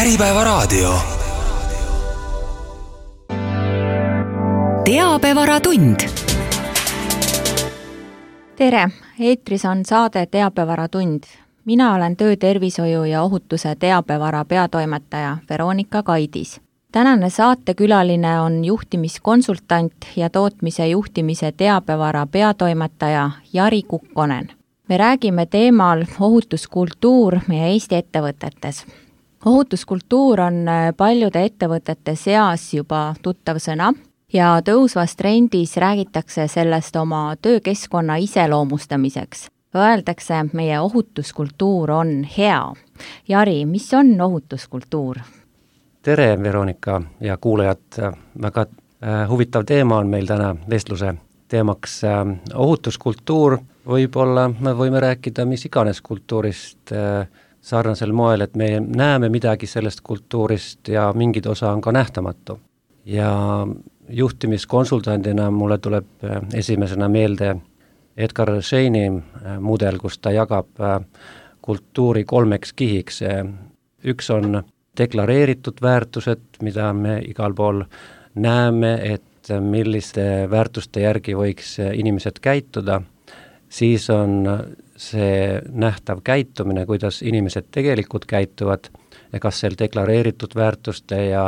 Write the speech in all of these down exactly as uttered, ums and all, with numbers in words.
Äripäevaraadio. Teabevaratund. Tere, eetris on saade Teabevaratund. Mina olen töötervishoiu ja ohutuse teabevara peatoimetaja Veronika Kaidis. Tänane saatekülaline on juhtimiskonsultant ja tootmise juhtimise teabevara peatoimetaja Jari Kukkonen. Me räägime teemal ohutuskultuur meie Eesti ettevõtetes. Ohutuskultuur on paljude ettevõtete seas juba tuttav sõna ja tõusvas trendis räägitakse sellest oma töökeskkonna iseloomustamiseks. Öeldakse, meie ohutuskultuur on hea. Jari, mis on ohutuskultuur? Tere, Veronika ja kuulajad. Väga huvitav teema on meil täna vestluse teemaks ohutuskultuur. Võib-olla me võime rääkida mis iganes kultuurist sarnasel moel, et me näeme midagi sellest kultuurist ja mingid osa on ka nähtamatu. Ja juhtimiskonsultandina mulle tuleb esimesena meelde Edgar Scheini mudel, kus ta jagab kultuuri kolmeks kihiks. Üks on deklareeritud väärtused, mida me igal pool näeme, et milliste väärtuste järgi võiks inimesed käituda. Siis on see nähtav käitumine, kuidas inimesed tegelikult käituvad ja kas seal deklareeritud väärtuste ja,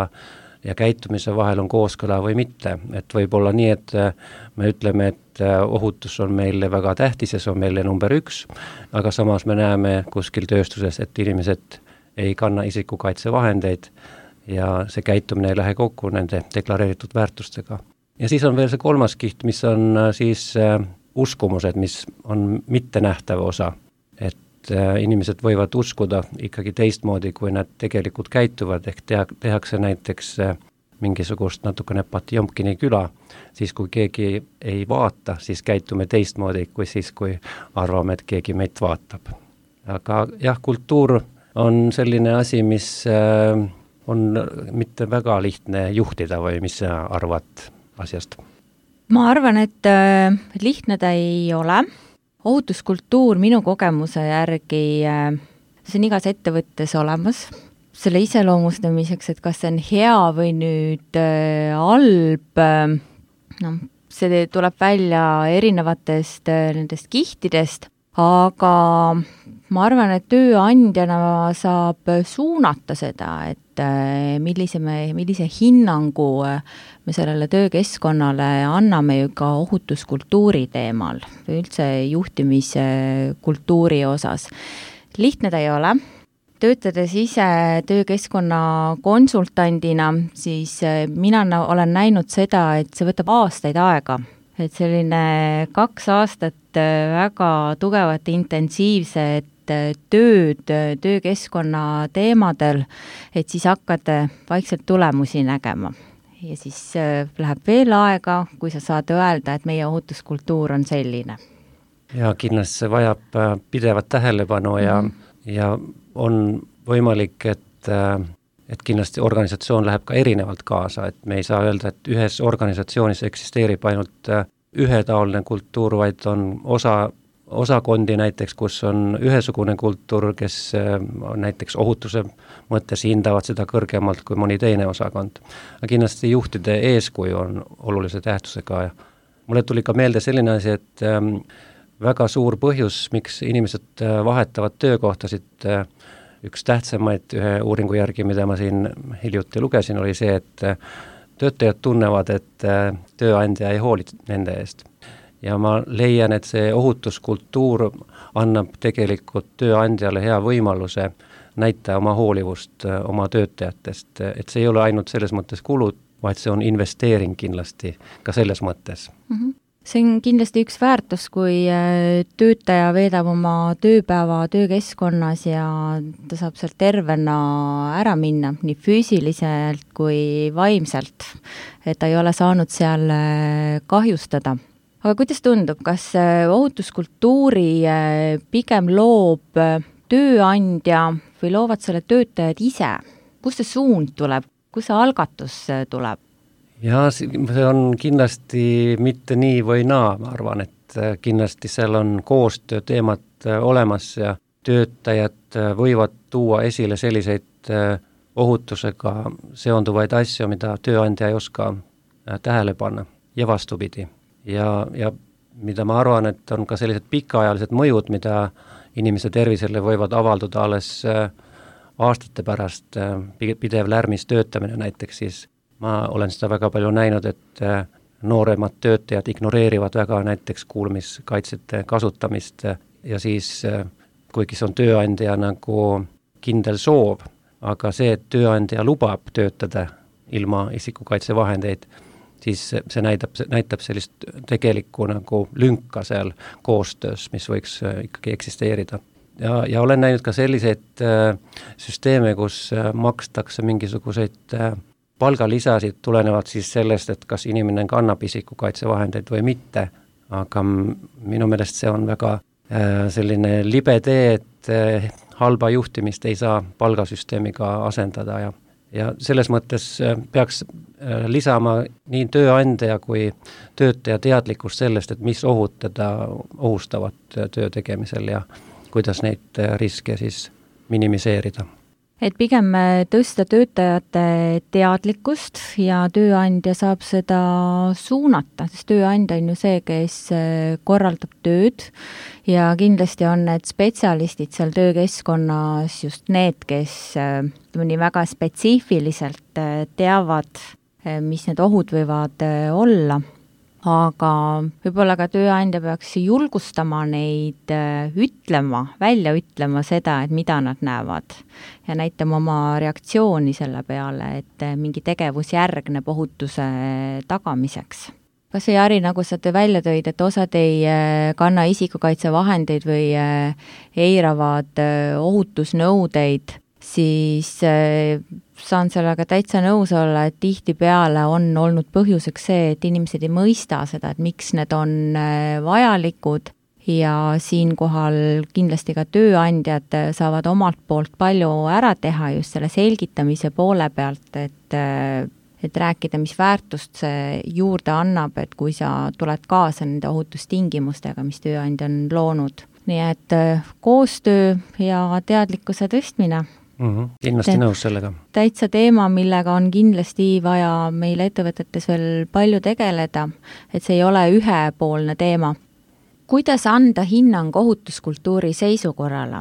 ja käitumise vahel on kooskõla või mitte. Et võib olla nii, et me ütleme, et ohutus on meile väga tähtis ja see on meile number üks, aga samas me näeme kuskil tööstuses, et inimesed ei kanna isikukaitsevahendeid ja see käitumine ei lähe kokku nende deklareeritud väärtustega. Ja siis on veel see kolmas kiht, mis on siis uskumused, mis on mittenähtav osa, et inimesed võivad uskuda ikkagi teistmoodi, kui nad tegelikult käituvad, ehk teha, tehakse näiteks mingisugust natukene Patjomkini küla, siis kui keegi ei vaata, siis käitume teistmoodi kui siis, kui arvame, et keegi meid vaatab. Aga jah, kultuur on selline asi, mis on mitte väga lihtne juhtida või mis sa arvad asjast? Ma arvan, et lihtne ta ei ole. Ohutuskultuur minu kogemuse järgi, see on igas ettevõttes olemas. Selle iseloomustamiseks, et kas see on hea või nüüd halb, no, see tuleb välja erinevatest nendest kihtidest, aga ma arvan, et tööandjana saab suunata seda, et millise, me, millise hinnangu me sellele töökeskkonnale anname ju ka ohutuskultuuri teemal või üldse juhtimise kultuuri osas. Lihtne ta ei ole. Töötades ise töökeskkonna konsultandina, siis mina olen näinud seda, et see võtab aastaid aega. Et selline kaks aastat väga tugevat intensiivset tööd töökeskkonna teemadel, et siis hakkad vaikselt tulemusi nägema. Ja siis läheb veel aega, kui sa saad öelda, et meie ohutuskultuur on selline. Ja kindlasti see vajab pidevat tähelepanu ja, mm-hmm. ja on võimalik, et, et kindlasti organisatsioon läheb ka erinevalt kaasa, et me ei saa öelda, et ühes organisatsioonis eksisteerib ainult ühetaoline kultuur, vaid on osa osakondi näiteks, kus on ühesugune kultuur, kes näiteks ohutuse mõttes hindavad seda kõrgemalt kui mõni teine osakond. Aga kindlasti juhtide eeskuju on olulise tähtsusega. Mulle tuli ka meelde selline asi, et väga suur põhjus, miks inimesed vahetavad töökohtasid, üks tähtsamaid ühe uuringu järgi, mida ma siin hiljuti lugesin, oli see, et töötajad tunnevad, et tööandja ei hooli nende eest. Ja ma leian, et see ohutuskultuur annab tegelikult tööandjale hea võimaluse näita oma hoolivust oma töötajatest, et see ei ole ainult selles mõttes kulud, vaid see on investeering kindlasti ka selles mõttes. Mm-hmm. See on kindlasti üks väärtus, kui töötaja veedab oma tööpäeva töökeskkonnas ja ta saab sealt tervena ära minna, nii füüsiliselt kui vaimselt, et ta ei ole saanud seal kahjustada. Aga kuidas tundub, kas ohutuskultuuri pigem loob tööandja või loovad selle töötajad ise? Kust see suund tuleb? Kus see algatus tuleb? Ja see on kindlasti mitte nii või naa, ma arvan, et kindlasti seal on koostöö teemad olemas ja töötajad võivad tuua esile selliseid ohutusega seonduvaid asju, mida tööandja ei oska tähele panna ja vastupidi. Ja, ja mida ma arvan, et on ka sellised pikaajalised mõjud, mida inimese tervisele võivad avalduda alles aastate pärast, pidev lärmis töötamine näiteks, siis ma olen seda väga palju näinud, et nooremad töötajad ignoreerivad väga näiteks kuulmiskaitsete kasutamist ja siis, kuigi see on tööandja nagu kindel soov, aga see, et tööandja lubab töötada ilma isikukaitsevahendeid, siis see näitab, näitab sellist tegelikku nagu lünka seal koostöös, mis võiks ikkagi eksisteerida. Ja, ja olen näinud ka selliseid äh, süsteeme, kus äh, makstakse mingisuguseid äh, palgalisasid tulenevalt siis sellest, et kas inimene kannab isikukaitsevahendeid või mitte, aga minu meelest see on väga äh, selline libe tee, et äh, halba juhtimist ei saa palgasüsteemiga asendada ja ja selles mõttes peaks lisama nii tööandja kui töötaja teadlikkust sellest, et mis ohud teda ohustavad töö tegemisel ja kuidas neid riske siis minimiseerida. Et pigem tõsta töötajate teadlikkust ja tööandja saab seda suunata, sest tööandja on ju see, kes korraldab tööd ja kindlasti on need spetsialistid seal töökeskkonnas just need, kes nii väga spetsiifiliselt teavad, mis need ohud võivad olla. Aga võib-olla ka tööandja peaks julgustama neid ütlema, välja ütlema seda, et mida nad näevad ja näitama oma reaktsiooni selle peale, et mingi tegevus järgneb ohutuse tagamiseks. Kas see Jari, nagu sa te välja tõid, et osad ei kanna isikukaitsevahendeid või eiravad ohutusnõudeid, siis saan sellega täitsa nõus olla, et tihtipeale on olnud põhjuseks see, et inimesed ei mõista seda, et miks need on vajalikud ja siinkohal kindlasti ka tööandjad saavad omalt poolt palju ära teha just selle selgitamise poole pealt, et, et rääkida, mis väärtust see juurde annab, et kui sa tuled kaasa nende ohutustingimustega, mis tööandja on loonud. Nii et koostöö ja teadlikkuse tõstmine. Mm-hmm. Kindlasti Te, nõus sellega. Täitsa teema, millega on kindlasti vaja meil ettevõtetes veel palju tegeleda, et see ei ole ühepoolne teema. Kuidas anda hinnang ohutuskultuuri seisukorrale?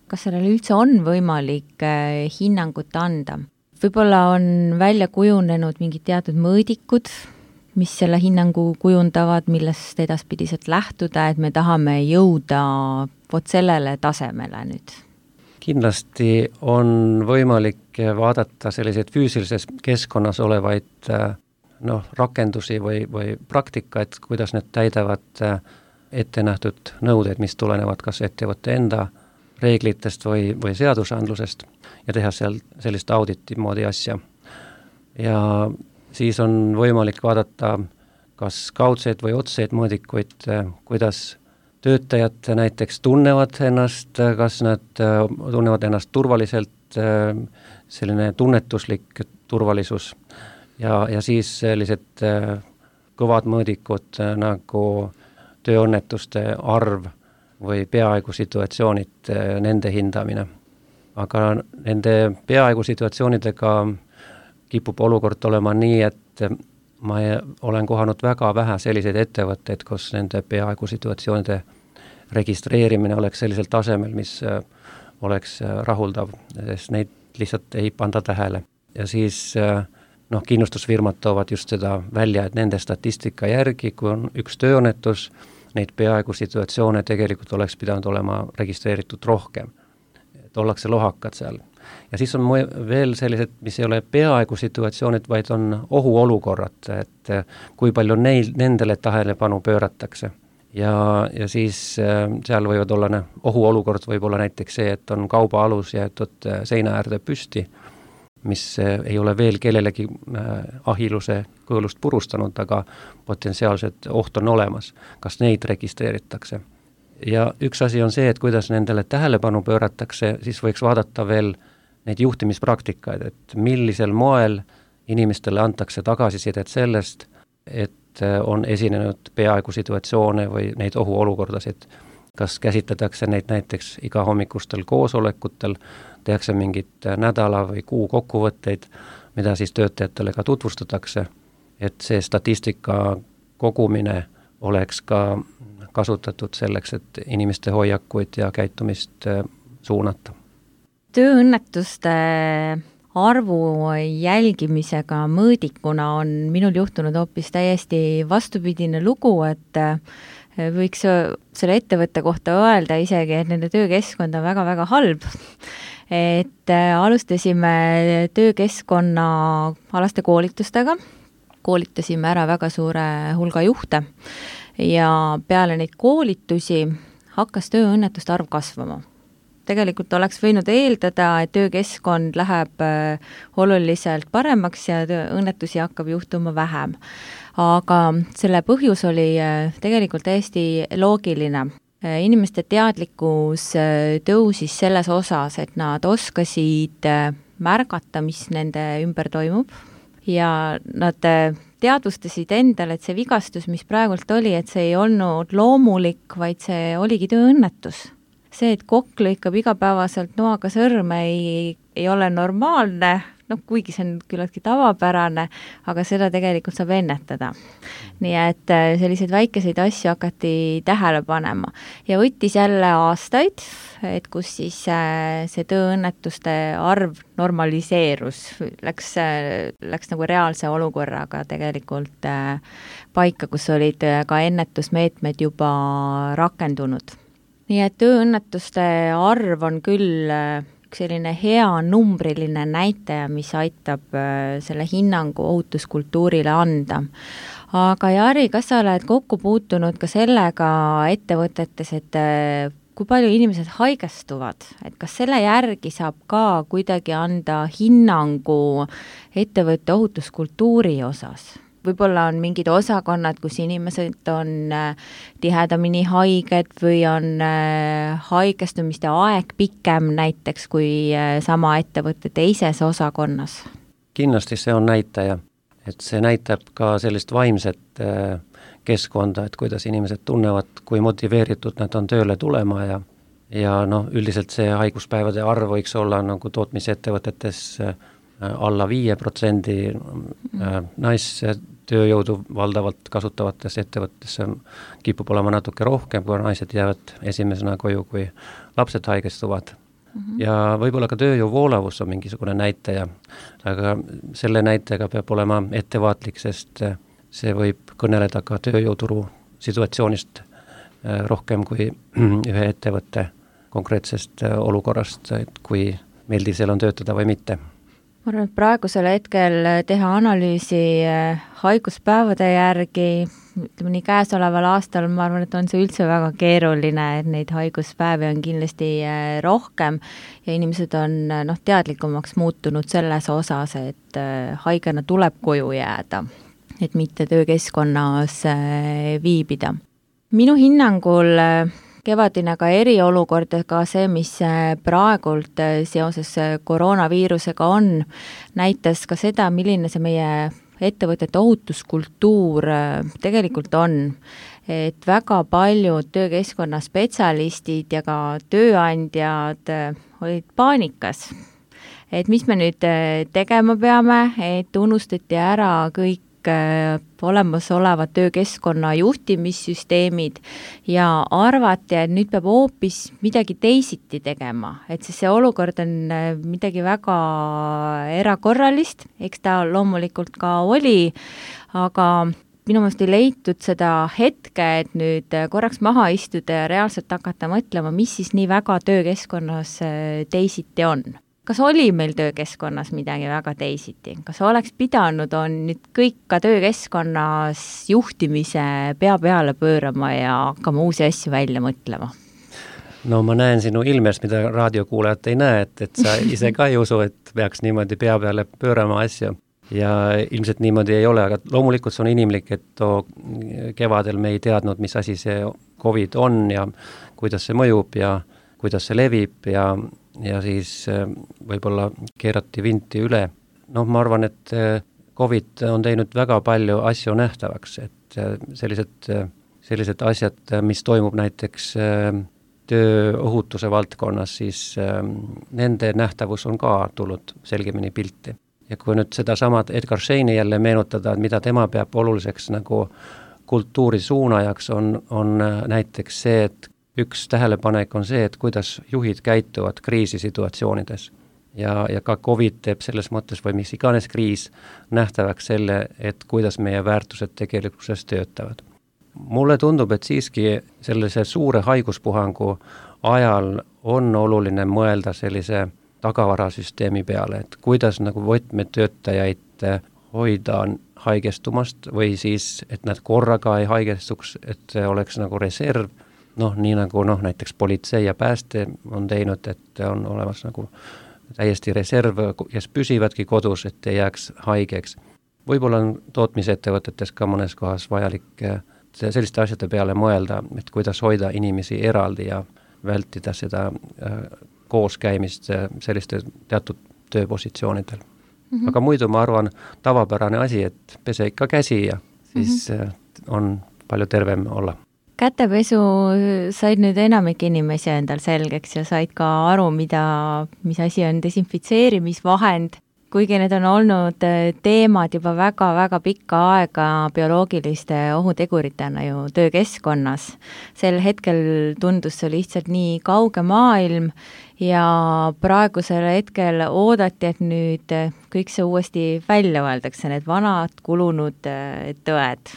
Kas sellele üldse on võimalik hinnangut anda? Võib-olla on välja kujunenud mingid teatud mõõdikud, mis selle hinnangu kujundavad, millest edaspidiselt lähtuda, et me tahame jõuda vot sellele tasemele nüüd. Kindlasti on võimalik vaadata selliseid füüsilises keskkonnas olevaid noh, rakendusi või, või praktikaid, kuidas need täidavad ette nähtud nõudeid, mis tulenevad kas ettevõtte enda reeglitest või, või seadusandlusest ja teha seal sellist auditi moodi asja. Ja siis on võimalik vaadata kas kaudseid või otseid mõõdikuid, kuidas töötajad näiteks tunnevad ennast, kas nad tunnevad ennast turvaliselt, selline tunnetuslik turvalisus ja, ja siis sellised kõvad mõõdikud nagu tööõnnetuste arv või peaaegu situatsioonid, nende hindamine. Aga nende peaaegu situatsioonidega kipub olukord olema nii, et ma olen kohanud väga vähe selliseid ettevõtteid, kus nende peaaegu situatsioonide registreerimine oleks sellisel tasemel, mis oleks rahuldav, sest neid lihtsalt ei panda tähele. Ja siis noh, kindlustusfirmad toovad just seda välja, et nende statistika järgi, kui on üks tööõnnetus, neid peaaegu situatsioone tegelikult oleks pidanud olema registreeritud rohkem. Et ollakse lohakad seal. Ja siis on veel sellised, mis ei ole peaaegu situatsioonid, vaid on ohuolukorrad, et kui palju neil, nendele tähelepanu pööratakse. Ja, ja siis seal võivad olla, ohuolukord võib olla näiteks see, et on kaubaalus jäetud seina äärde püsti, mis ei ole veel kellelegi ahiluse kõõlust purustanud, aga potentsiaalselt oht on olemas. Kas neid registreeritakse? Ja üks asi on see, et kuidas nendele tähelepanu pööratakse, siis võiks vaadata veel neid juhtimispraktikaid, et millisel moel inimestele antakse tagasisidet sellest, et on esinenud peaaegu situatsioone või neid ohuolukordasid. kas käsitletakse neid näiteks iga hommikustel koosolekutel, tehakse mingit nädala või kuu kokkuvõtteid, mida siis töötajatele ka tutvustatakse, et see statistika kogumine oleks ka kasutatud selleks, et inimeste hoiakuid ja käitumist suunata. Tööõnnetuste arvu jälgimisega mõõdikuna on minul juhtunud hoopis täiesti vastupidine lugu, et võiks selle ettevõtte kohta öelda isegi, et nende töökeskkond on väga-väga halb. Et alustasime töökeskkonna alaste koolitustega, koolitasime ära väga suure hulga juhte ja peale neid koolitusi hakkas tööõnnetuste arv kasvama. Tegelikult oleks võinud eeldada, et töökeskkond läheb oluliselt paremaks ja õnnetusi hakkab juhtuma vähem. Aga selle põhjus oli tegelikult täiesti loogiline. Inimeste teadlikkus tõusis selles osas, et nad oskasid märgata, mis nende ümber toimub ja nad teadvustasid endale, et see vigastus, mis praegult oli, et see ei olnud loomulik, vaid see oligi tööõnnetus. See, et kokk lõikab igapäevaselt noaga sõrme, ei, ei ole normaalne, noh, kuigi see on küllaltki tavapärane, aga seda tegelikult saab ennetada. Nii et selliseid väikeseid asju hakati tähele panema. Ja võttis jälle aastaid, et kus siis see tööõnnetuste arv normaliseerus, läks, läks nagu reaalse olukorraga tegelikult paika, kus olid ka ennetusmeetmed juba rakendunud. Nii et tööõnnetuste arv on küll üks selline hea numbriline näitaja, mis aitab selle hinnangu ohutuskultuurile anda. Aga Jari, kas sa oled kokku puutunud ka sellega ettevõtetes, et kui palju inimesed haigestuvad, et kas selle järgi saab ka kuidagi anda hinnangu ettevõtte ohutuskultuuri osas? Võib-olla on mingid osakonnad, kus inimesed on tihedamini haiged või on haigestumiste aeg pikem näiteks kui sama ettevõtte teises osakonnas? Kindlasti see on näitaja, et see näitab ka sellist vaimset keskkonda, et kuidas inimesed tunnevad, kui motiveeritud nad on tööle tulema ja, ja noh, üldiselt see haiguspäevade arv võiks olla nagu tootmisettevõtetes alla viie protsendi naistööjõudu valdavalt kasutavates ettevõttes kipub olema natuke rohkem, kui naised jäävad esimesena koju, kui lapsed haigestuvad. Mm-hmm. Ja võib-olla ka tööjõu voolavus on mingisugune näitaja, aga selle näitajaga peab olema ettevaatlik, sest see võib kõneleda ka tööjõuturu situatsioonist rohkem kui ühe ettevõtte konkreetsest olukorrast, et kui meeldiv seal on töötada või mitte. Ma arvan, et praegusel hetkel teha analüüsi haiguspäevade järgi, ütleme nii käesoleval aastal, ma arvan, et on see üldse väga keeruline, et neid haiguspäevi on kindlasti rohkem ja inimesed on noh, teadlikumaks muutunud selles osas, et haigena tuleb koju jääda, et mitte töökeskkonnas viibida. Minu hinnangul kevadine ka eriolukord, ka see, mis praegult seoses koroonaviirusega on, näitas ka seda, milline see meie ettevõtete ohutuskultuur tegelikult on. Et väga paljud töökeskkonna spetsialistid ja ka tööandjad olid paanikas. Et mis me nüüd tegema peame, et unustati ära kõik olemasolevad töökeskkonna juhtimissüsteemid ja arvati, et nüüd peab hoopis midagi teisiti tegema, et siis see olukord on midagi väga erakorralist, eks ta loomulikult ka oli, aga minu meelest ei leitud seda hetke, et nüüd korraks maha istuda ja reaalselt hakata mõtlema, mis siis nii väga töökeskkonnas teisiti on. Kas oli meil töökeskkonnas midagi väga teisiti? Kas oleks pidanud on nüüd kõik ka töökeskkonnas juhtimise pea peale pöörama ja hakkama uusi asju välja mõtlema? No ma näen sinu ilmest, mida raadiokuulajad ei näe, et, et sa ise ka ei usu, et peaks niimoodi pea peale pöörama asju. Ja ilmselt niimoodi ei ole, aga loomulikult see on inimlik, et too kevadel me ei teadnud, mis asi see COVID on ja kuidas see mõjub ja kuidas see levib ja ja siis võib-olla keerati vinti üle. Noh, ma arvan, et COVID on teinud väga palju asju nähtavaks, et sellised sellised asjad, mis toimub näiteks tööohutuse valdkonnas, siis nende nähtavus on ka tulnud selgemini pilti. Ja kui nüüd seda samad Edgar Scheini jälle meenutada, mida tema peab oluliseks nagu kultuuri suunajaks, on, on näiteks see, et üks tähelepanek on see, et kuidas juhid käituvad kriisisituatsioonides. Ja, ja ka COVID teeb selles mõttes või mis iganes kriis nähtavaks selle, et kuidas meie väärtused tegelikkuses töötavad. Mulle tundub, et siiski sellise suure haiguspuhangu ajal on oluline mõelda sellise tagavarasüsteemi peale, et kuidas nagu võtmetöötajaid hoida haigestumast või siis, et nad korraga ei haigestuks, et see oleks nagu reserv, noh, nii nagu noh, näiteks politsei ja pääste on teinud, et on olemas nagu täiesti reserv, kes püsivadki kodus, et ei jääks haigeks. Võib-olla on tootmisettevõtetes ka mõnes kohas vajalik selliste asjade peale mõelda, et kuidas hoida inimesi eraldi ja vältida seda kooskäimist selliste teatud tööpositsioonidel. Mm-hmm. Aga muidu ma arvan tavapärane asi, et pese ikka käsi ja siis mm-hmm. on palju tervem olla. Kätepesu said nüüd enamik inimesi endal selgeks ja said ka aru, mida, mis asi on desinfitseerimisvahend, kuigi need on olnud teemad juba väga-väga pikka aega bioloogiliste ohuteguritena ju töökeskkonnas. Sel hetkel tundus see lihtsalt nii kauge maailm ja praegusel hetkel oodati, et nüüd kõik see uuesti välja öeldakse, need vanad kulunud tõed.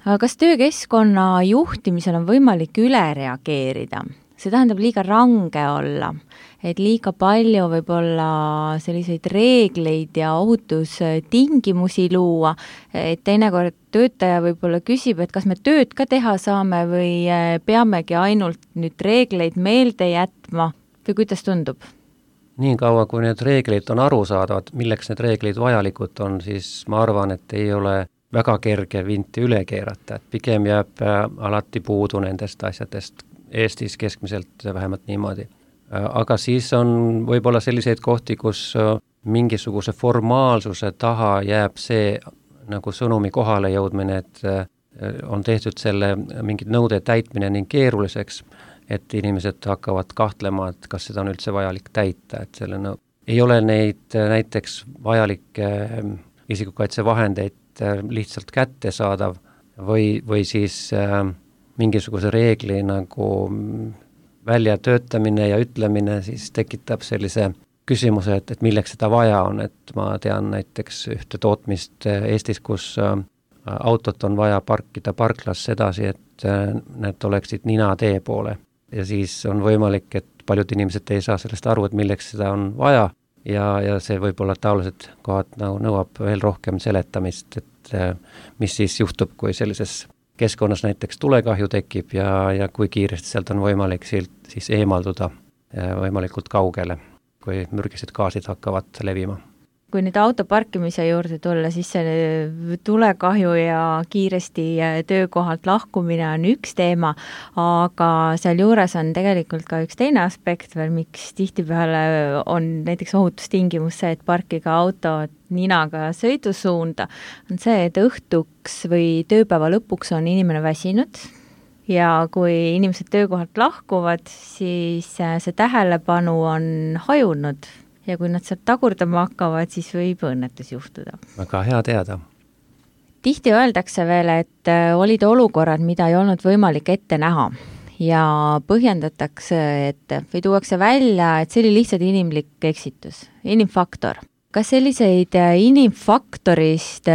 Aga kas töökeskkonna juhtimisel on võimalik üle reageerida? See tähendab liiga range olla, et liiga palju võib-olla selliseid reegleid ja ohutustingimusi luua, et teinekord töötaja võib-olla küsib, et kas me tööd ka teha saame või peamegi ainult nüüd reegleid meelde jätma või kuidas tundub? Nii kaua, kui need reeglid on aru saadavad, milleks need reeglid vajalikud on, siis ma arvan, et ei ole väga kerge vinti üle keerata, et pigem jääb alati puudu nendest asjadest, Eestis keskmiselt vähemalt niimoodi. Aga siis on võib-olla selliseid kohti, kus mingisuguse formaalsuse taha jääb see nagu sõnumi kohale jõudmine, et on tehtud selle mingid nõude täitmine nii keeruliseks, et inimesed hakkavad kahtlema, et kas seda on üldse vajalik täita, et selle no, ei ole neid näiteks vajalikke isikukaitsevahendeid lihtsalt kätte saadav või, või siis äh, mingisuguse reegli nagu väljatöötamine ja ütlemine siis tekitab sellise küsimuse, et, et milleks seda vaja on, et ma tean näiteks ühte tootmist Eestis, kus äh, autot on vaja parkida parklas sedasi, et äh, need oleksid nina tee poole ja siis on võimalik, et paljud inimesed ei saa sellest aru, et milleks seda on vaja ja, ja see võib-olla taolised kohad nagu nõuab veel rohkem seletamist, et äh, mis siis juhtub, kui sellises keskkonnas näiteks tulekahju tekib ja, ja kui kiiresti sealt on võimalik silt siis eemalduda võimalikult kaugele, kui mürgised gaasid hakkavad levima. Kui nüüd auto parkimise juurde tulla, siis see tulekahju ja kiiresti töökohalt lahkumine on üks teema, aga seal juures on tegelikult ka üks teine aspekt veel, miks tihtipeale on näiteks ohutustingimus see, et parkiga auto ninaga sõidusuunda, on see, et õhtuks või tööpäeva lõpuks on inimene väsinud ja kui inimesed töökohalt lahkuvad, siis see tähelepanu on hajunud ja kui nad sealt tagurdama hakkavad, siis võib õnnetus juhtuda. Väga hea teada. Tihti öeldakse veel, et olid olukorrad, mida ei olnud võimalik ette näha ja põhjendatakse, et või tuuakse välja, et see oli lihtsalt inimlik eksitus, inimfaktor. Kas selliseid inimfaktorist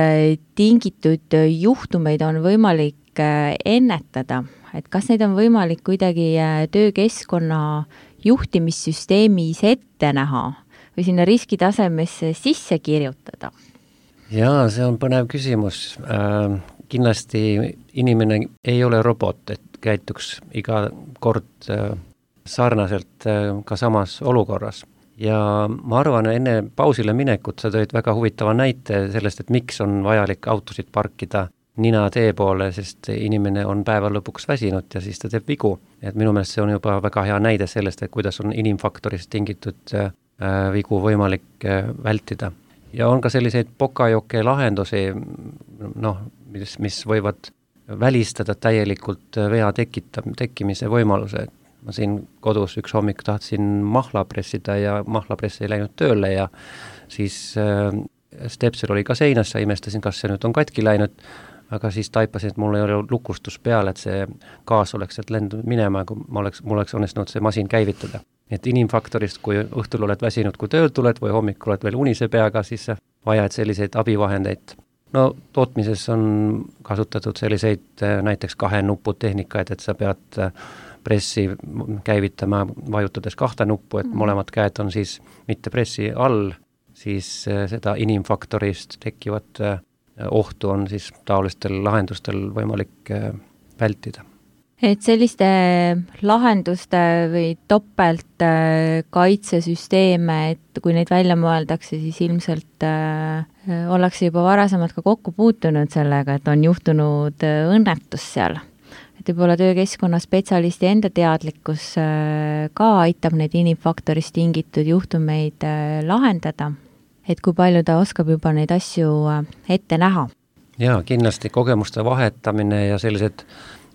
tingitud juhtumeid on võimalik ennetada? Et kas neid on võimalik kuidagi töökeskkonna juhtimissüsteemis ette näha või sinna riskitasemesse sisse kirjutada? Jaa, see on põnev küsimus. Äh, kindlasti inimene ei ole robot, et käituks iga kord äh, sarnaselt äh, ka samas olukorras. Ja ma arvan, enne pausile minekut sa tõid väga huvitava näite sellest, et miks on vajalik autosid parkida nina tee poole, sest inimene on päeva lõpuks väsinud ja siis ta teeb vigu. Et minu meelest see on juba väga hea näide sellest, et kuidas on inimfaktorist tingitud äh, vigu võimalik äh, vältida. Ja on ka selliseid pokajoke lahendusi, noh, mis, mis võivad välistada täielikult vea tekita, tekkimise võimaluse. Ma siin kodus üks hommik tahtsin mahla pressida ja mahlapress ei läinud tööle ja siis äh, stepsel oli ka seinas ja imestasin, kas see nüüd on katki läinud, aga siis taipasin, et mul ei ole lukustus peal, et see gaas oleks sealt lendunud minema, kui ma oleks, mul oleks õnnestunud see masin käivitada. Et inimfaktorist, kui õhtul oled väsinud, kui tööl tuled või hommikul oled veel unise peaga, siis vajad selliseid abivahendeid. No tootmises on kasutatud selliseid näiteks kahe nupu tehnikaid, et sa pead pressi käivitama, vajutades kahte nuppu, et mõlemad käed on siis mitte pressi all, siis seda inimfaktorist tekkivat ohtu on siis taolistel lahendustel võimalik vältida. Et selliste lahenduste või topelt kaitsesüsteeme, et kui neid välja mõeldakse, siis ilmselt äh, ollakse juba varasemalt ka kokku puutunud sellega, et on juhtunud õnnetus seal. Et võib-olla töökeskkonna spetsialisti enda teadlikkus äh, ka aitab neid inimfaktorist tingitud juhtumeid äh, lahendada, et kui palju ta oskab juba neid asju äh, ette näha. Jaa, kindlasti kogemuste vahetamine ja sellised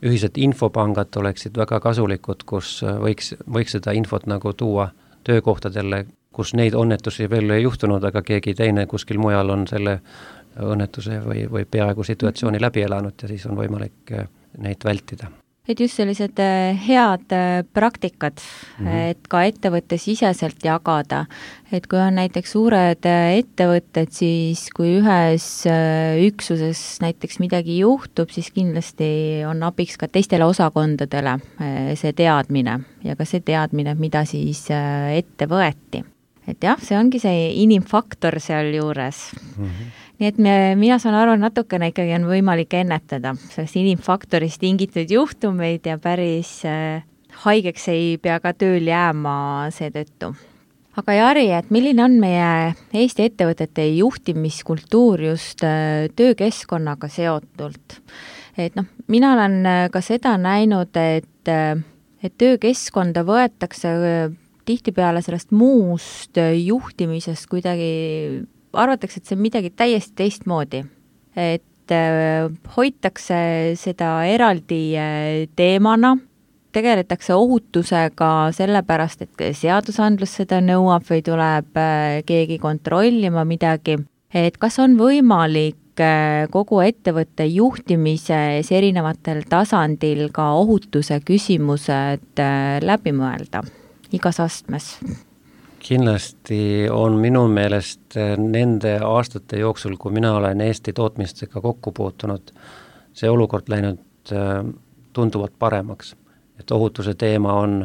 ühised infopangad oleksid väga kasulikud, kus võiks, võiks seda infot nagu tuua töökohtadele, kus neid õnnetusi veel ei juhtunud, aga keegi teine kuskil mujal on selle õnnetuse või, või peaaegu situatsiooni läbi elanud ja siis on võimalik neid vältida. Et just sellised head praktikad, mm-hmm. et ka ettevõtte siseselt jagada, et kui on näiteks suured ettevõtted, siis kui ühes üksuses näiteks midagi juhtub, siis kindlasti on abiks ka teistele osakondadele see teadmine ja ka see teadmine, mida siis ette võeti. Et jah, see ongi see inimfaktor seal juures. Mm-hmm. Nii et me, mina saan aru, natukene ikkagi on võimalik ennetada sellest inimfaktorist tingitud juhtumeid ja päris äh, haigeks ei pea ka tööl jääma seetõttu. Aga Jari, et milline on meie Eesti ettevõtete juhtimiskultuur just äh, töökeskkonnaga seotult? Et noh, mina olen ka seda näinud, et, äh, et töökeskkonda võetakse äh, tihtipeale sellest muust juhtimisest kuidagi arvatakse, et see on midagi täiesti teistmoodi. Et äh, hoitakse seda eraldi äh, teemana, tegeletakse ohutusega sellepärast, et seadusandlus seda nõuab või tuleb äh, keegi kontrollima midagi. Et kas on võimalik äh, kogu ettevõtte juhtimises erinevatel tasandil ka ohutuse küsimused äh, läbi mõelda igas astmes? Kindlasti on minu meelest nende aastate jooksul, kui mina olen Eesti tootmistega kokku puutunud, see olukord läinud tunduvalt paremaks. Et ohutuse teema on,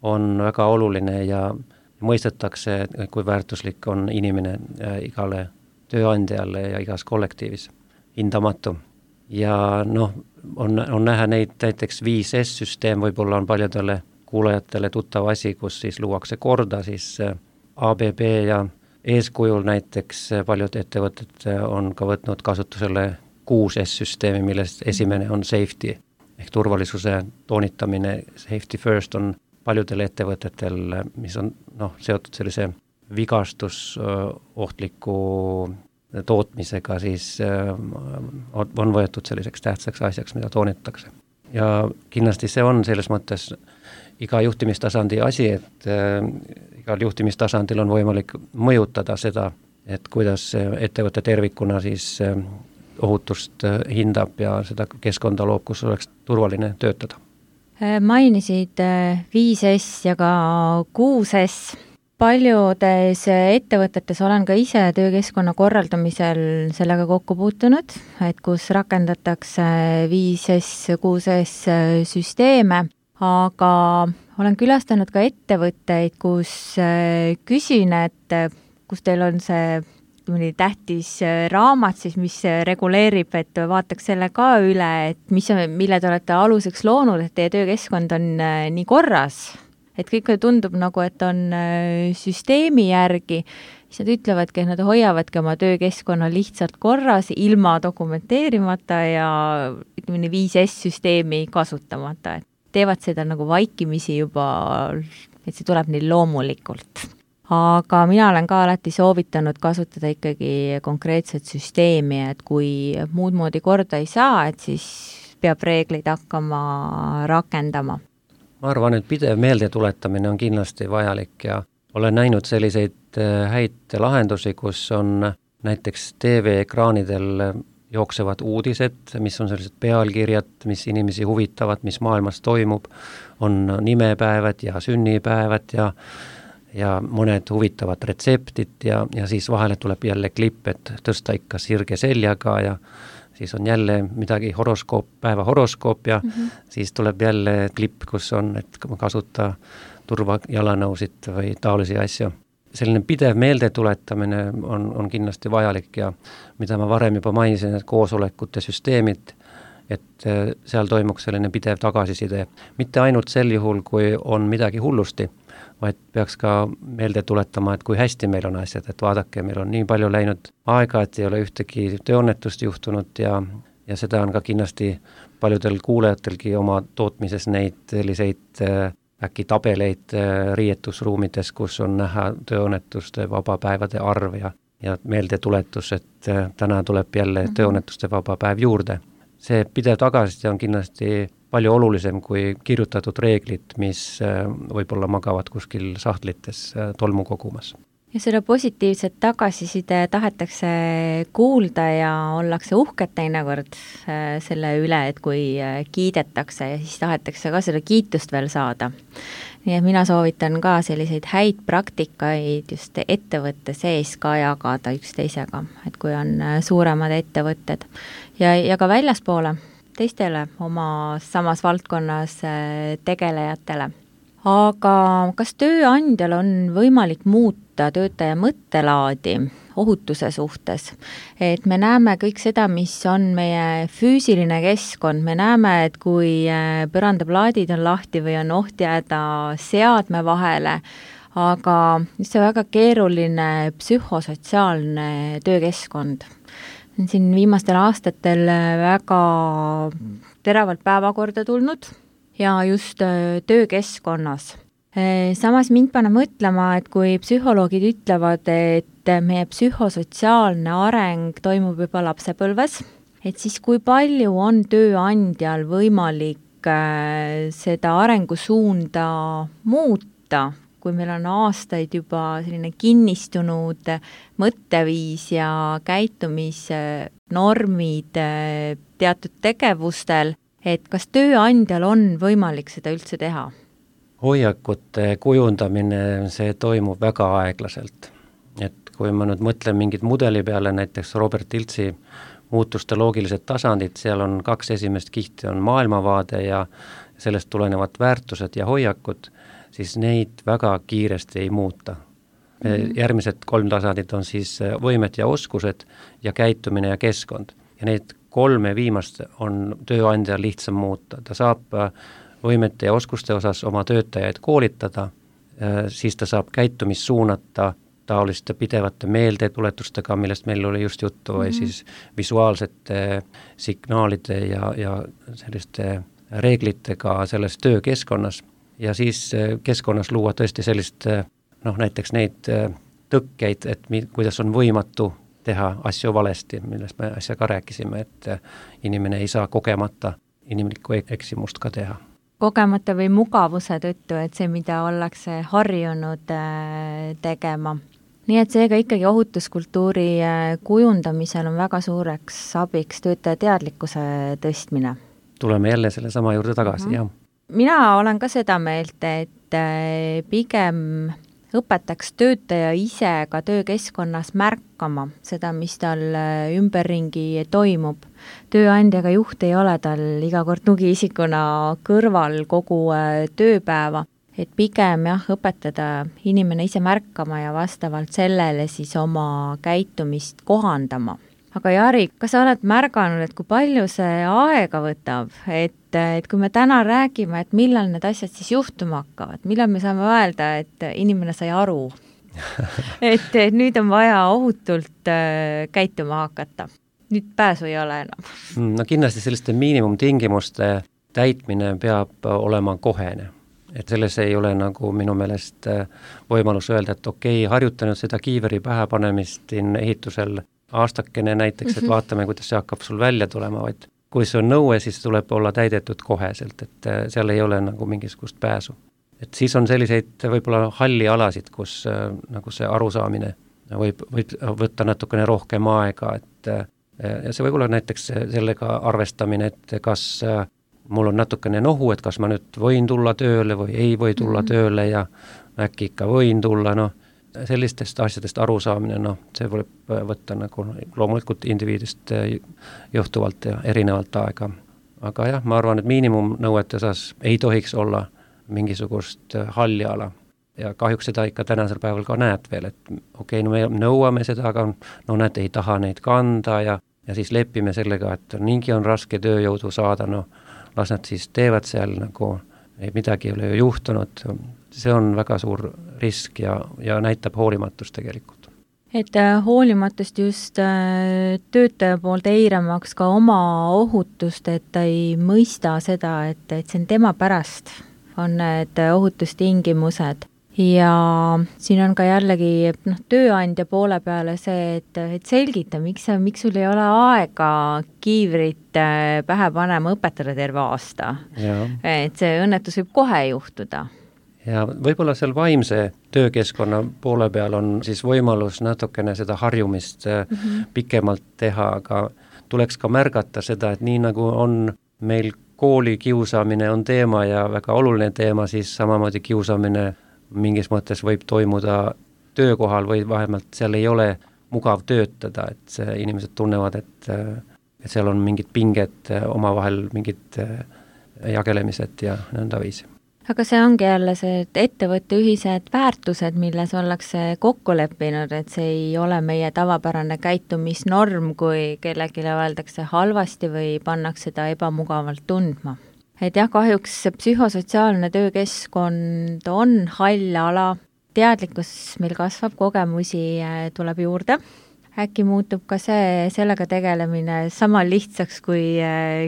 on väga oluline ja mõistetakse, kui väärtuslik on inimene igale tööandjale ja igas kollektiivis, hindamatu. Ja noh, on, on näha neid näiteks viis S süsteem, võib-olla on paljudele kuulajatele tuttav asi, kus siis luuakse korda, siis A B B ja eeskujul näiteks paljud ettevõtted on ka võtnud kasutusele kuus S süsteemi, millest esimene on safety ehk turvalisuse toonitamine. Safety first on paljudel ettevõtetel, mis on noh, seotud sellise vigastus ohtliku tootmisega, siis on võetud selliseks tähtsaks asjaks, mida toonitatakse. Ja kindlasti see on selles mõttes iga juhtimistasandi asi, et äh, igal juhtimistasandil on võimalik mõjutada seda, et kuidas ettevõtte tervikuna siis äh, ohutust äh, hindab ja seda keskkonda loob, kus oleks turvaline töötada. Mainisid viis S ja ka kuus S. Paljudes ettevõtetes olen ka ise töökeskkonna korraldamisel sellega kokku puutunud, et kus rakendatakse viis S, kuus S süsteeme, aga olen külastanud ka ettevõtteid, kus küsin, et kus teil on see mõni tähtis raamat, siis mis reguleerib, et vaataks selle ka üle, et mis, mille te olete aluseks loonud, et teie töökeskkond on nii korras, et kõik tundub nagu, et on süsteemi järgi, siis nad ütlevadki, et nad hoiavadki oma töökeskkonna lihtsalt korras, ilma dokumenteerimata ja ütleme viis S süsteemi kasutamata, et teevad seda nagu vaikimisi juba, et see tuleb neil loomulikult. Aga mina olen ka alati soovitanud kasutada ikkagi konkreetset süsteemi, et kui muud moodi korda ei saa, et siis peab reeglid hakkama rakendama? Ma arvan, et pidev meelde tuletamine on kindlasti vajalik ja olen näinud selliseid häid lahendusi, kus on näiteks T V-ekraanidel jooksevad uudised, mis on sellised pealkirjad, mis inimesi huvitavad, mis maailmas toimub, on nimepäevad ja sünnipäevad ja ja mõned huvitavad retseptid ja, ja siis vahele tuleb jälle klipp, et tõsta ikka sirge seljaga ja siis on jälle midagi horoskoop, päeva horoskoop ja mm-hmm. siis tuleb jälle klipp, kus on, et kasuta turvajalanõusid või taolisi asju. Selline pidev meelde tuletamine on, on kindlasti vajalik ja mida ma varem juba mainisin, et koosolekute süsteemid, et seal toimuks selline pidev tagasiside. Mitte ainult sel juhul, kui on midagi hullusti, vaid peaks ka meelde tuletama, et kui hästi meil on asjad, et vaadake, meil on nii palju läinud aega, et ei ole ühtegi tööõnnetust juhtunud ja, ja seda on ka kindlasti paljudel kuulajatelgi oma tootmises neid selliseid äkki tabeleid riietusruumides, kus on näha tööõnnetuste vabapäevade arv ja, ja meeldetuletus, et täna tuleb jälle mm-hmm. tööõnnetuste vaba päev juurde. See pidev tagasiside on kindlasti palju olulisem kui kirjutatud reeglid, mis võib-olla magavad kuskil sahtlites tolmu kogumas. Ja seda positiivset tagasiside tahetakse kuulda ja ollakse uhked teinekord selle üle, et kui kiidetakse ja siis tahetakse ka seda kiitust veel saada. Nii et mina soovitan ka selliseid häid praktikaid just ettevõtte sees ka jagada üksteisega, et kui on suuremad ettevõtted ja, ja ka väljaspoole teistele oma samas valdkonnas tegelejatele. Aga kas tööandjal on võimalik muuta töötaja mõttelaadi ohutuse suhtes? Et me näeme kõik seda, mis on meie füüsiline keskkond. Me näeme, et kui põrandaplaadid on lahti või on oht jääda seadme vahele, aga see on väga keeruline psühhosotsiaalne töökeskkond. Siin viimastel aastatel väga teravalt päevakorda tulnud ja just töökeskkonnas. Samas mind paneb mõtlema, et kui psühholoogid ütlevad, et meie psühhosotsiaalne areng toimub juba lapsepõlves, et siis kui palju on tööandjal võimalik seda arengusuunda muuta, kui meil on aastaid juba selline kinnistunud mõtteviis ja käitumisnormid teatud tegevustel, et kas tööandjal on võimalik seda üldse teha? Hoiakute kujundamine, see toimub väga aeglaselt. Et kui ma nüüd mõtlen mingid mudeli peale, näiteks Robert Iltsi muutuste loogilised tasandid, seal on kaks esimest kihti, on maailmavaade ja sellest tulenevad väärtused ja hoiakud, siis neid väga kiiresti ei muuta. Mm-hmm. Järgmised kolm tasandit on siis võimed ja oskused ja käitumine ja keskkond. Ja neid kolme viimast on tööandja lihtsam muuta. Ta saab võimete ja oskuste osas oma töötajaid koolitada, siis ta saab käitumist suunata taoliste pidevate meeldetuletustega, millest meil oli just juttu, mm-hmm. või siis visuaalsete signaalide ja, ja selliste reeglitega selles töökeskkonnas. Ja siis keskkonnas luua tõesti sellist, noh näiteks neid tõkkeid, et mi, kuidas on võimatu teha asju valesti, millest me asja ka rääkisime, et inimene ei saa kogemata inimlikku eksimust ka teha. Kogemata või mugavuse tõttu, et see, mida ollakse harjunud tegema. Nii et seega ikkagi ohutuskultuuri kujundamisel on väga suureks abiks töötaja teadlikkuse tõstmine. Tuleme jälle selle sama juurde tagasi, mm-hmm. jah. Mina olen ka seda meelt, et pigem õpetaks töötaja ise ka töökeskkonnas märkama seda, mis tal ümberringi toimub. Tööandjaga juht ei ole tal iga kord tugiisikuna kõrval kogu tööpäeva, et pigem jah, õpetada inimene ise märkama ja vastavalt sellele siis oma käitumist kohandama. Aga Jari, kas sa oled märganud, et kui palju see aega võtab, et, et kui me täna räägime, et millal need asjad siis juhtuma hakkavad, millal me saame öelda, et inimene sai aru, et, et nüüd on vaja ohutult äh, käituma hakata. Nüüd pääsu ei ole enam. No kindlasti selliste miinimumtingimuste täitmine peab olema kohene. Et selles ei ole nagu minu meelest võimalus öelda, et okei, okay, harjutanud seda kiiveri pähe panemist ehitusel aastakene näiteks, et vaatame, kuidas see hakkab sul välja tulema, vaid kui see on nõue, siis tuleb olla täidetud koheselt, et seal ei ole nagu mingisugust pääsu. Et siis on selliseid võib-olla halli alasid, kus nagu see arusaamine võib, võib võtta natukene rohkem aega, et ja see võib olla näiteks sellega arvestamine, et kas mul on natukene nohu, et kas ma nüüd võin tulla tööle või ei või tulla mm-hmm. tööle ja äkki ikka võin tulla, noh, sellistest asjadest arusaamine, noh, see võib võtta nagu loomulikult indiviidist johtuvalt ja erinevalt aega. Aga jah, ma arvan, et miinimumnõuete osas ei tohiks olla mingisugust halli ala. Ja kahjuks seda ikka tänasel päeval ka näed veel, et okei, okay, no me nõuame seda, aga no näed, ei taha neid kanda ja, ja siis lepime sellega, et niingi on raske tööjõudu saada, no las nad siis teevad seal nagu, ei midagi ei ole ju juhtunud. See on väga suur risk ja, ja näitab hoolimatust tegelikult. Et hoolimatust just töötaja poolt eiramaks ka oma ohutust, et ta ei mõista seda, et, et see on tema pärast, on need ohutustingimused. Ja siin on ka jällegi noh, tööandja poole peale see, et, et selgita, miks, miks sul ei ole aega kiivrit pähe panema õpetada terve aasta. Ja. Et see õnnetus võib kohe juhtuda. Ja võib-olla seal vaimse töökeskkonna poole peal on siis võimalus natukene seda harjumist mm-hmm. pikemalt teha, aga tuleks ka märgata seda, et nii nagu on meil kooli kiusamine on teema ja väga oluline teema, siis samamoodi kiusamine mingis mõttes võib toimuda töökohal või vähemalt seal ei ole mugav töötada, et see inimesed tunnevad, et, et seal on mingid pinged omavahel, mingid jagelemised ja nõnda viisi. Aga see ongi jälle see, et ettevõtte ühised väärtused, milles ollakse kokku leppinud, et see ei ole meie tavapärane käitumisnorm, kui kellelegi öeldakse halvasti või pannakse seda ebamugavalt tundma. Et jah, kahjuks psühhosotsiaalne töökeskkond on hall ala, teadlikkus meil kasvab, kogemusi tuleb juurde. Äkki muutub ka see, sellega tegelemine sama lihtsaks kui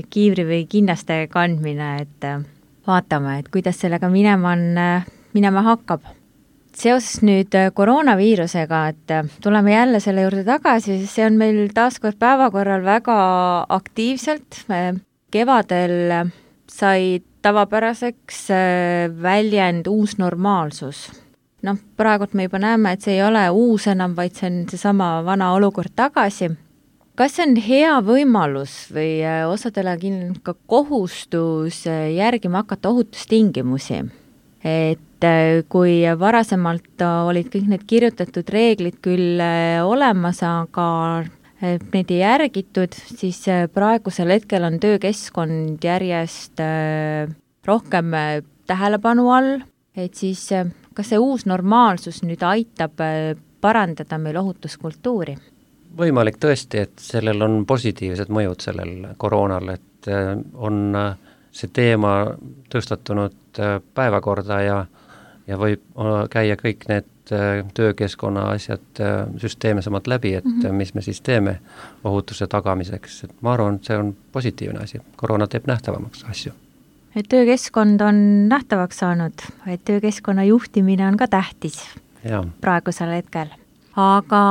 kiivri või kinnaste kandmine, et vaatame, et kuidas sellega minema, on, minema hakkab. Seoses nüüd koroonaviirusega, et tuleme jälle selle juurde tagasi, see on meil taaskord päevakorral väga aktiivselt. Kevadel sai tavapäraseks väljend uus normaalsus. Noh, praegult me juba näeme, et see ei ole uus enam, vaid see on see sama vana olukord tagasi. Kas see on hea võimalus või osadele ka kohustus järgima hakata ohutustingimusi? Et kui varasemalt olid kõik need kirjutatud reeglid küll olemas, aga neid ei järgitud, siis praegusel hetkel on töökeskkond järjest rohkem tähelepanu all, et siis kas see uus normaalsus nüüd aitab parandada meil ohutuskultuuri? Võimalik tõesti, et sellel on positiivsed mõjud sellel koroonal, et on see teema tõstatunud päevakorda ja, ja võib käia kõik need töökeskkonna asjad süsteemsemalt läbi, et mm-hmm. mis me siis teeme ohutuse tagamiseks. Et ma arvan, et see on positiivne asi. Koroona teeb nähtavamaks asju. Et töökeskkond on nähtavaks saanud, et töökeskkonna juhtimine on ka tähtis ja. Praegusel hetkel. Aga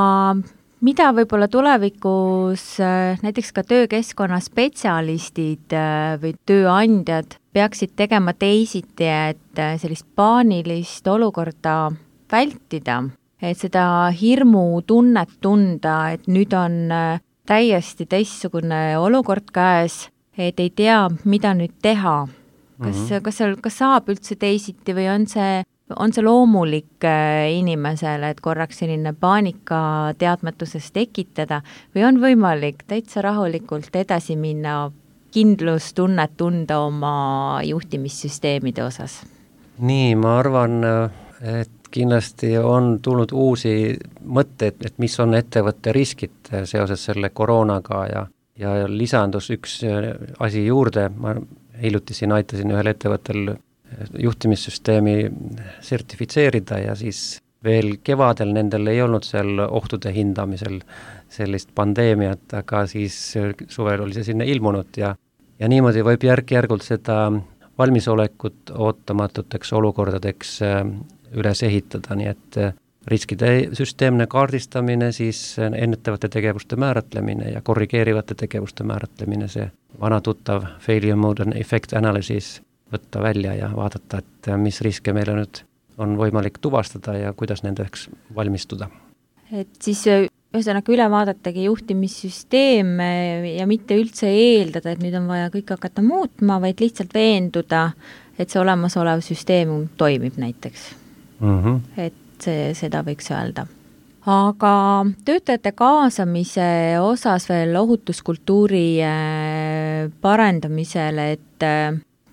mida võib-olla tulevikus näiteks ka töökeskkonna spetsialistid või tööandjad peaksid tegema teisiti, et sellist paanilist olukorda vältida, et seda hirmu tunnet tunda, et nüüd on täiesti teistsugune olukord käes, et ei tea, mida nüüd teha. Kas, mm-hmm. kas, seal, kas saab üldse teisiti või on see on see loomulik inimesele, et korraks selline paanika teadmatuses tekitada või on võimalik täitsa rahulikult edasi minna, kindlustunnet tunda oma juhtimissüsteemide osas? Nii, ma arvan, et kindlasti on tulnud uusi mõtteid, et mis on ettevõtte riskid seoses selle koroonaga ja, ja lisandus üks asi juurde, ma hiljuti siin aitasin ühel ettevõttel juhtimissüsteemi sertifitseerida ja siis veel kevadel nendel ei olnud seal ohtude hindamisel sellist pandeemiat, aga siis suvel oli see sinna ilmunud ja, ja niimoodi võib järk-järgult seda valmisolekut ootamatuteks olukordadeks üles ehitada, nii et riskide süsteemne kaardistamine, siis ennetavate tegevuste määratlemine ja korrigeerivate tegevuste määratlemine, see vana tuttav failure mode and effect analysis võtta välja ja vaadata, et mis riske meile nüüd on võimalik tuvastada ja kuidas nendeks valmistuda. Et siis ühesõnaga üle vaadatagi juhtimissüsteem ja mitte üldse eeldada, et nüüd on vaja kõik hakata muutma, vaid lihtsalt veenduda, et see olemasolev süsteem toimib näiteks. Mm-hmm. Et see, seda võiks öelda. Aga töötajate kaasamise osas veel ohutuskultuuri parendamisele, et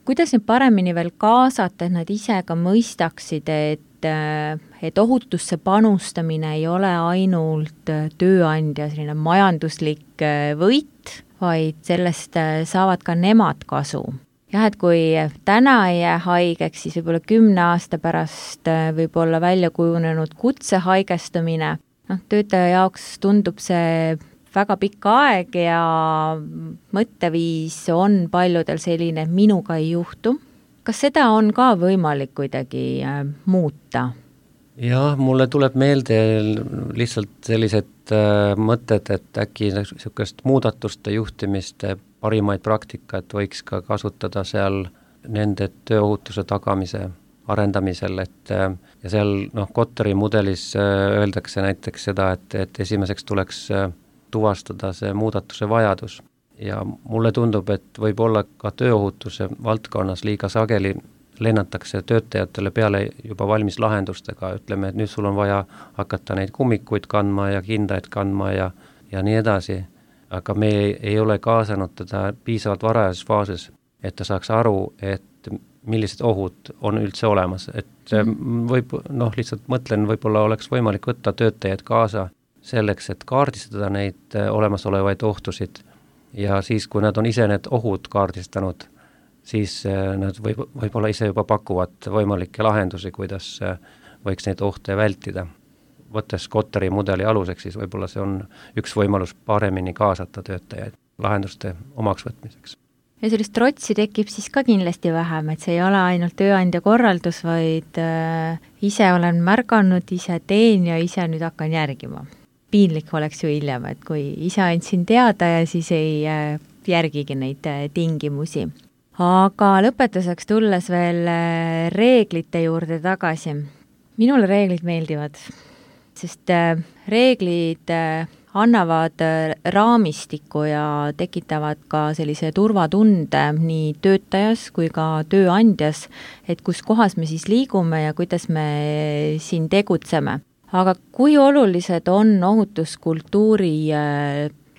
kuidas neid paremini veel kaasata, et nad ise ka mõistaksid, et, et ohutusse panustamine ei ole ainult tööandja selline majanduslik võit, vaid sellest saavad ka nemad kasu. Jah, et kui täna ei jää haigeks, siis võib-olla kümne aasta pärast võib-olla välja kujunenud kutse haigestumine. No, töötaja jaoks tundub see väga pikk aeg ja mõtteviis on paljudel selline, et minuga ei juhtu. Kas seda on ka võimalik kuidagi muuta? Jah, mulle tuleb meelde lihtsalt sellised mõtted, et äkki niisugust muudatuste juhtimiste parimaid praktikat võiks ka kasutada seal nende tööohutuse tagamise arendamisel, et ja seal noh, Kotteri mudelis öeldakse näiteks seda, et, et esimeseks tuleks tuvastada see muudatuse vajadus ja mulle tundub, et võib-olla ka tööohutuse valdkonnas liiga sageli lennatakse töötajatele peale juba valmis lahendustega, ütleme, et nüüd sul on vaja hakata neid kummikuid kandma ja kindaid kandma ja, ja nii edasi, aga me ei ole kaasanud teda piisavalt varajases faasis, et ta saaks aru, et millised ohud on üldse olemas, et võib, noh, lihtsalt mõtlen, võib-olla oleks võimalik võtta töötajaid kaasa selleks, et kaardistada neid olemasolevaid ohtusid ja siis, kui nad on ise need ohud kaardistanud, siis nad võib, võib-olla ise juba pakuvad võimalikke lahendusi, kuidas võiks neid ohte vältida. Võttes Kotteri mudeli aluseks, siis võib-olla see on üks võimalus paremini kaasata töötajaid lahenduste omaks võtmiseks. Ja sellist trotsi tekib siis ka kindlasti vähem, et see ei ole ainult tööandja korraldus, vaid äh, ise olen märganud, ise teen ja ise nüüd hakkan järgima. Piinlik oleks ju hiljem, et kui ise andsin teada ja siis ei äh, järgigi neid äh, tingimusi. Aga lõpetuseks tulles veel äh, reeglite juurde tagasi. Minule reeglid meeldivad, sest äh, reeglid äh, annavad raamistiku ja tekitavad ka sellise turvatunde nii töötajas kui ka tööandjas, et kus kohas me siis liigume ja kuidas me siin tegutseme. Aga kui olulised on ohutuskultuuri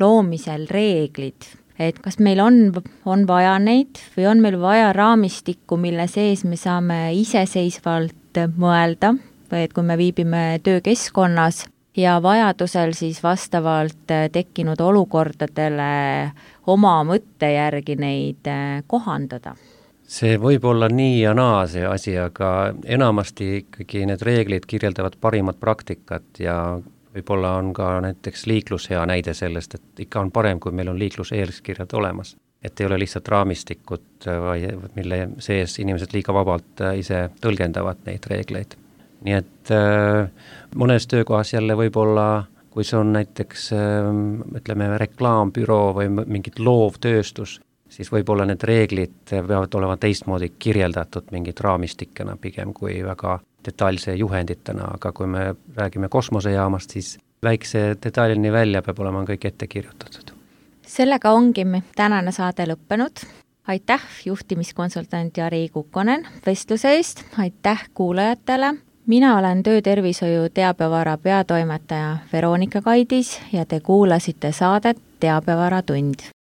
loomisel reeglid? Et kas meil on, on vaja neid või on meil vaja raamistikku, mille sees me saame iseseisvalt mõelda, või et kui me viibime töökeskkonnas, ja vajadusel siis vastavalt tekkinud olukordadele oma mõtte järgi neid kohandada. See võib olla nii ja naa see asi, aga enamasti ikkagi need reeglid kirjeldavad parimat praktikat ja võib-olla on ka näiteks liiklus hea näide sellest, et ikka on parem, kui meil on liikluseeskirjad olemas. Et ei ole lihtsalt raamistikut, mille sees inimesed liiga vabalt ise tõlgendavad neid reegleid. Nii et äh, mõnes töökohas jälle võib-olla, kui see on näiteks äh, ütleme, reklaambüroo või mingit loovtööstus, siis võib-olla need reeglid peavad olema teistmoodi kirjeldatud mingit raamistikena pigem kui väga detailse juhenditena, aga kui me räägime kosmosejaamast, siis väikse detailini välja peab olema kõik ette kirjutatud. Sellega ongi tänane saade lõppenud. Aitäh juhtimiskonsultant Jari Kukkonen vestluse eest, aitäh kuulajatele. Mina olen Töötervishoiu teabevara peatoimetaja Veronika Kaidis ja te kuulasite saadet Teabevara tund.